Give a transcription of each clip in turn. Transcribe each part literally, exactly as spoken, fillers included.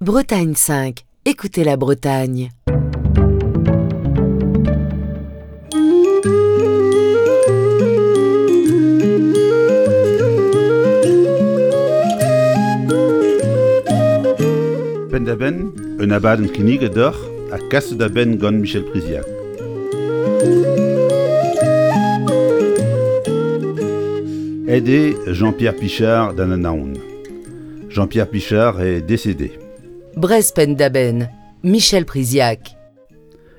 Bretagne cinq, écoutez la Bretagne. Penn-da-benn, un abadenn kinniget deoc'h ha kaset da benn gant Michel Priziac. Aet eo Jean-Pierre Pichard d'an Anaon. Jean-Pierre Pichard est décédé. Breizh Penn-da-Benn, Michel Priziac.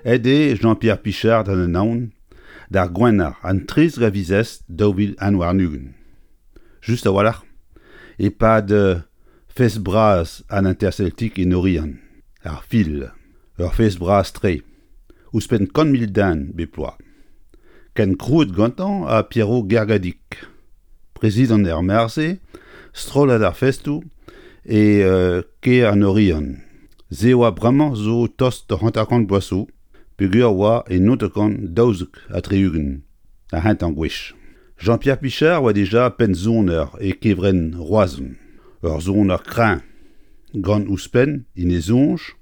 Aet eo Jean-Pierre Pichard d'an Anaon d'ar Gwener an trizek a viz East daou vil un warn-ugent. Just a-walc'h, e-pad fest bras an Interceltique en Oriant, ar fil, ur fest bras-tre, ouzhpenn kant mil den bep bloaz. Ken krouet gantañ ha Pierrot Gergadig, prezidant er mare-se, strollad ar festoù e kêr an Oriant. Se oa bremañ zo tost da hanter-kant bloaz zo, peogwir oa e naontek daouzek ha tri-ugent, ar c'hentañ gwech. Jean-Pierre Pichard oa dija pennsoner e kevrenn Roazhon. Ur soner kreñv, gant ouzhpenn en e soñj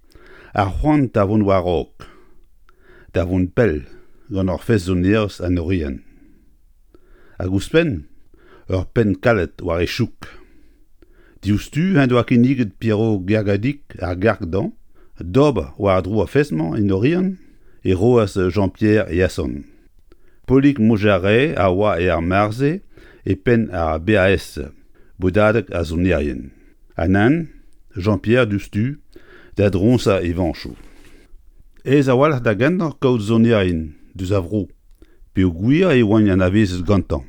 ar c'hoant da vont war-raok, da vont pell gant ur fest-sonerezh an Oriant. Hag ouzhpenn, ur penn kalet war e chouk. Diouzhtu en doa kinniget Pierrot Gergadig ar garg dezhañ, d'ober war-dro ar fest-mañ en Oriant e roas Jean-Pierre e asant. Polig Montjarret a oa er mare-se e penn ar B A S, bodadeg ar sonerien. Ha nann, Jean-Pierre diouzhtu da droñsañ e vañchoù. Aes a-walc'h da gentañ kaout sonerien deus a vro, peogwir e oant anavezet gantañ.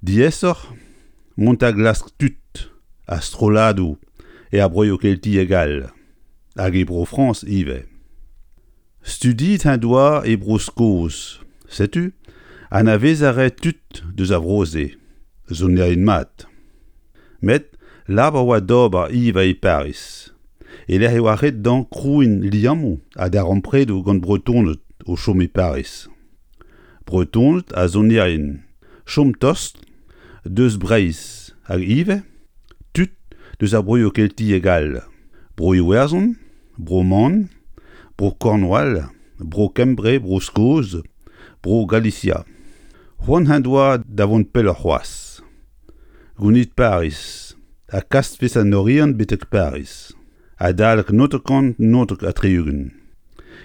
Diaesoc'h mont da glask tud ha strolladoù er broioù keltiek all, hag e Bro-Frañs ivez. Studiet en doa e Bro-Skos, setu anavez a rae tud deus ar vro-se, sonerien mat. Met labour oa d'ober ivez e Pariz, e lec'h e oa ret dezhañ krouiñ liammoù ha darempredoù gant Bretoned o chom e Pariz. Bretoned ha sonerien, chom tost deus Breizh hag ivez tud deus ar broioù keltiek all, Bro-Iwerzhon, Bro-Man, Bro-Cornwall, Bro-Kembre, Bro-Skos, Bro-Galisia. C'hoant en doa da vont pelloc'h c'hoazh. Gounit Pariz, ha kas fest an Oriant betek Pariz. Adalek naontek naontek ha tri-ugent.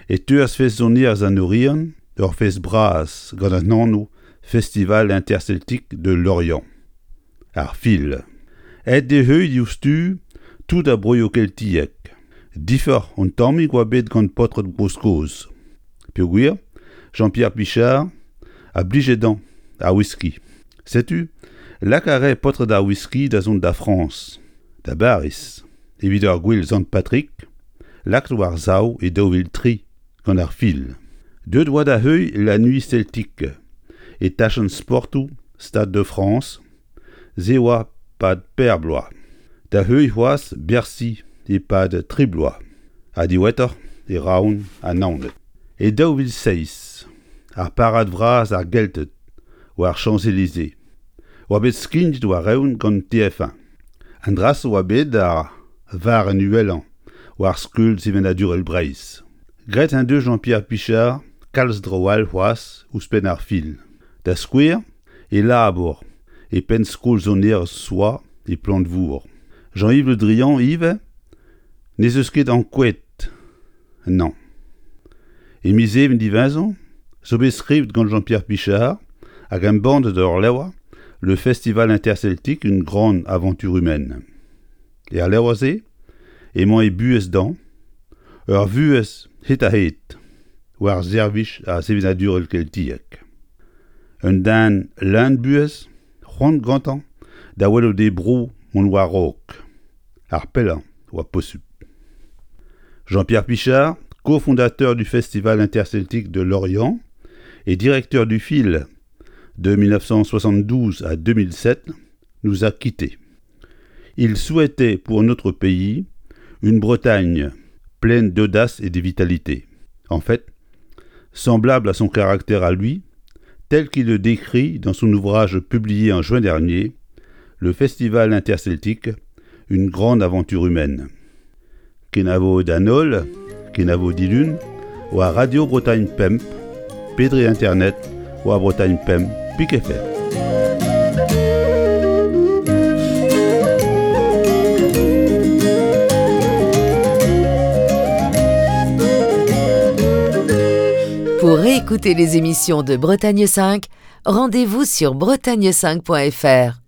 E teuas fest sonerezh an Oriant ur fest bras gant an anv Festival Interceltique de Lorient. Ar fil. Aet d'e heuilh diouzhtu tout ar broioù keltiek. Diforc'h un tammig oa bet gant paotred Bro-Skos. Peogwir, Jean-Pierre Pichard a blije dezhañ ar whisky. Setu, lak a rae paotred ar whisky da zont da Frañs, da Bariz, evit ar gouel Sant Patrick, lakaet war sav e daou vil tri gant ar fil. Deuet oa da heuilh la Nuit Celtique e tachenn sportoù Stade de France, se oa pad per bloaz. Da heuilh c'hoazh Bercy e-pad tri bloaz, ha diwezhatoc'h e Roazhon ha Naoned. E daou vil seizh, ar parad vras ar Gelted war Champs-Élysées oa bet skignet war-eeun gant T F un. An dra-se oa bet ar varrenn uhelañ war skeul sevenadurel Breizh. Graet en deus Jean-Pierre Pichard kalz draoù all c'hoazh ouzhpenn ar fil. Da skouer, e labour e penn skol sonerezh Soa e Plantevour. Jean-Yves Le Drian ivez n'ez eus ket ankouaet nann. E miz Even diwezhañ zo bet skrivet gant Jean-Pierre Pichard hag embannet ur levr Le Festival Interceltique, une grande aventure humaine. Er levr-se emañ e buhez dezhañ, ur vuhez hed-ha-hed, war servij ar sevenadurel keltiek. Un den leun buhez, c'hoant gantañ da welout e bro mont war-raok. Ar pellañ oa posupl. Jean-Pierre Pichard, cofondateur du Festival Interceltique de Lorient et directeur du Fil de mille neuf cent soixante-douze à deux mille sept, nous a quittés. Il souhaitait pour notre pays une Bretagne pleine d'audace et de vitalité. En fait, semblable à son caractère à lui, tel qu'il le décrit dans son ouvrage publié en juin dernier, Le Festival Interceltique, une grande aventure humaine. Kenavo d'an holl, kenavo dilun, war Radio Bretagne Pemp, pe dre internet, war Bretagne Pemp, pik F R. Pour réécouter les émissions de Bretagne cinq, rendez-vous sur bretagne cinq point F R.